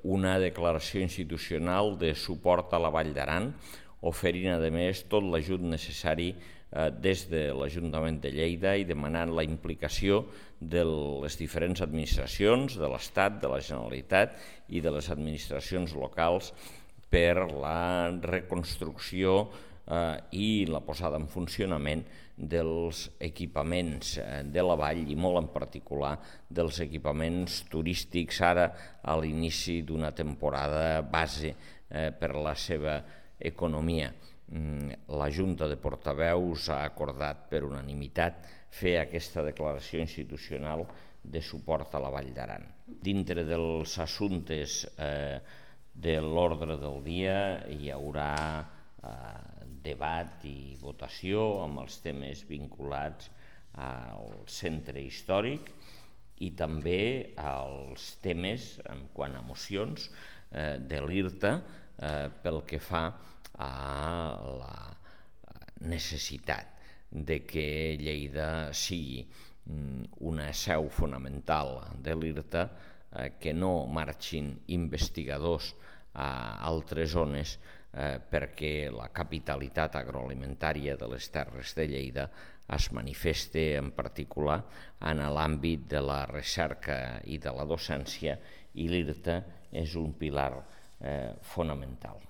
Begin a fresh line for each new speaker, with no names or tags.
una declaració institucional de suport a la Vall d'Aran, oferint, a més, tot l'ajut necessari des de l'Ajuntament de Lleida i demanant la implicació de les diferents administracions, de l'Estat, de la Generalitat i de les administracions locals per la reconstrucció i la posada en funcionament dels equipaments de la vall i molt en particular dels equipaments turístics ara a l'inici d'una temporada base per a la seva economia. La Junta de Portaveus ha acordat per unanimitat fer aquesta declaració institucional de suport a la Vall d'Aran. Dintre dels assumptes de l'ordre del dia hi haurà debat i votació amb els temes vinculats al centre històric i també als temes, en quant a mocions, de l'IRTA pel que fa a la necessitat de que Lleida sigui una seu fonamental de l'IRTA, que no marxin investigadors a altres zones perquè la capitalitat agroalimentària de les Terres de Lleida es manifeste en particular en l'àmbit de la recerca i de la docència, i l'IRTA és un pilar fonamental.